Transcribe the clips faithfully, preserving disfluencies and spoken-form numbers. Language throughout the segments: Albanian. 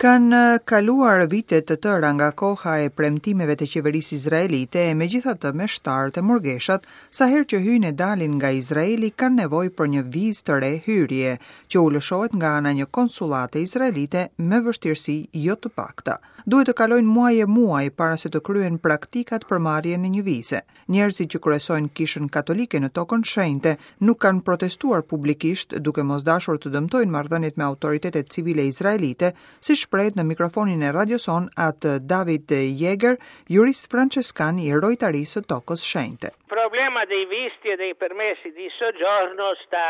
Kanë kaluar vite të tëra nga koha e premtimeve të qeverisë izraelite e megjithatë meshtarët e murgeshat, sa herë që hyjnë e dalin nga Izraeli kanë nevojë për një vizë të re hyrje, që u lëshohet nga ana një konsullate izraelite me vështirësi jo të pakta. Duhet të kalojnë muaj e muaj para se të kryen praktikat për marrjen e një vize. Njerëzit që kryesojnë kishën katolike në tokën shenjte nuk kanë protestuar publikisht duke mos dashur të dëmtojnë marrëdhëniet me autoritetet civile izraelite, si shprehet në mikrofonin e radioson atë David Jäger, jurist franceskan i rojtarisë së tokës shenjte. Problema dei visti e dei permessi di soggiorno sta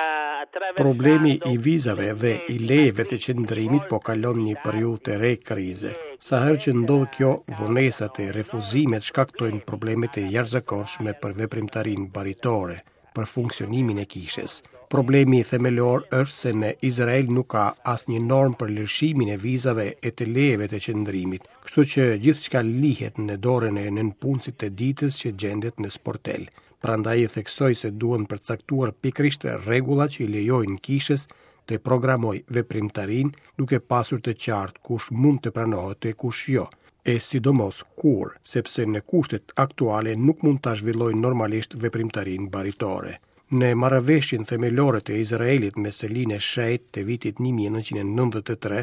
attraversando Problemi i vizave dhe i lejeve të qëndrimit po kalon një periudhë të re krize. Sa herë që ndodh kjo, vonesat e refuzimet shkaktojnë probleme të jashtëzakonshme për veprimtarinë baritore, për funksionimin e kishës. Problemi themelor është se në Izrael nuk ka asnjë normë për lëshimin e vizave e të lejeve të qëndrimit, kështu që gjithçka lihet në dorën e nënpunësit të ditës që gjendet në sportel. Prandaj e theksoj se duhen përcaktuar pikërisht rregulla që i lejojnë kishës të programoj veprimtarinë duke pasur të qartë kush mund të pranohet e kush jo, e sidomos kur, sepse në kushtet aktuale nuk mund ta zhvillojnë normalisht veprimtarinë baritore. Në marrëveshjen themelore të Izraelit me Selinë e Shenjtë të vitit një mijë e nëntëqind e nëntëdhjetë e tre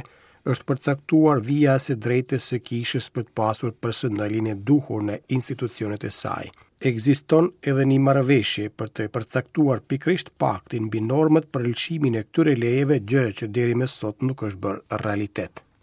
është përcaktuar vija e së drejtës së kishës për të pasur personelin e duhur në institucionet e saj. Ekziston edhe një marrëveshje për të përcaktuar pikërisht paktin mbi normat për lëshimin e këtyre lejeve, gjë që deri më sot nuk është bërë realitet.